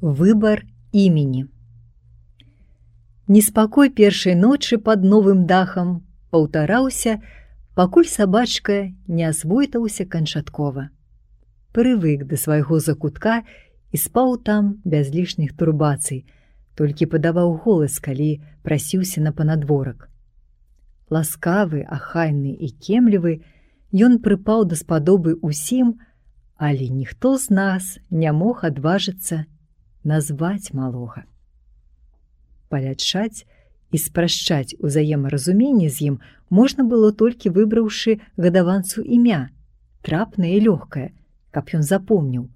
Выбар імені. Неспакой першай ночы пад новым дахам паўтараўся, пакуль сабачка не асвойтаўся канчаткова. Прывык да свайго закутка і спаў там без лішніх турбацый, толькі падаваў голас, калі прасіўся на панадворак. Ласкавы, ахайны і кемлівы, ён прыпаў даспадобы ўсім, але ніхто з нас не мог адважыцца назваць малога. Палячаць і спрашчаць узаемаразуменне з ім можна было толькі выбраўшы гадаванцу імя, трапнае і лёгкае, каб ён запомніў,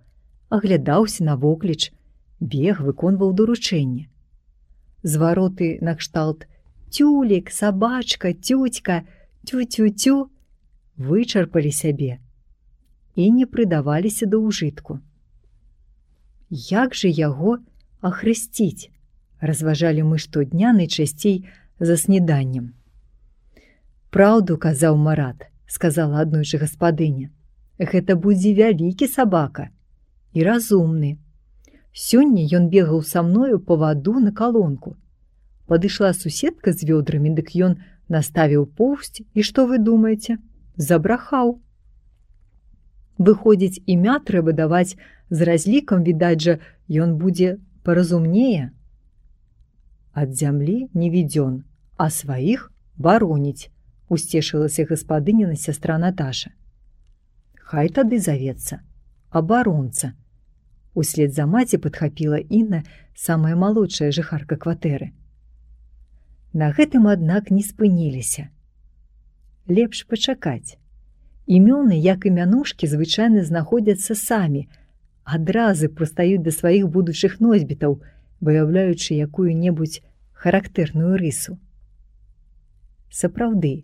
аглядаўся навокліч, бег, выконваў даручэнне. Звароты накшталт «тюлік», «сабачка», «тюцька», «тю-тю-тю» вычарпалі сябе і не прыдаваліся да ўжытку. Як жа яго ахрысціць, разважалі мы штодня найчасцей за сніданнем. «Праўду казаў Марат», сказала аднойчы гаспадыня, «гэта будзе вялікі сабака і разумны. Сёння ён бегаў са мною па ваду на калонку. Падышла суседка з вёдрамі, дык ён наставіў поўсць, і што вы думаеце? Забрахаў. Выходзіць, імя трэба даваць з разлікам, відаць жа, ён будзе паразумнее. Ад зямлі не відзён, а сваіх бароніць», усцешылася гаспадыніна сястра Наташа. «Хай тады завецца абаронца», услед за маці падхапіла Інна, самая малодшая жыхарка кватэры. На гэтым, аднак, не спыніліся. Лепш пачакаць. Імёны, як і мянушкі, звычайна знаходзяцца самі, адразу прыстаюць да сваіх будучых носьбітаў, выяўляючы якую-небудзь характэрную рысу. Сапраўды,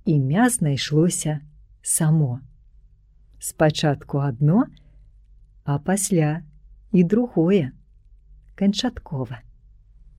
імя знайшлося само. Спачатку адно, а пасля і другое, канчаткова.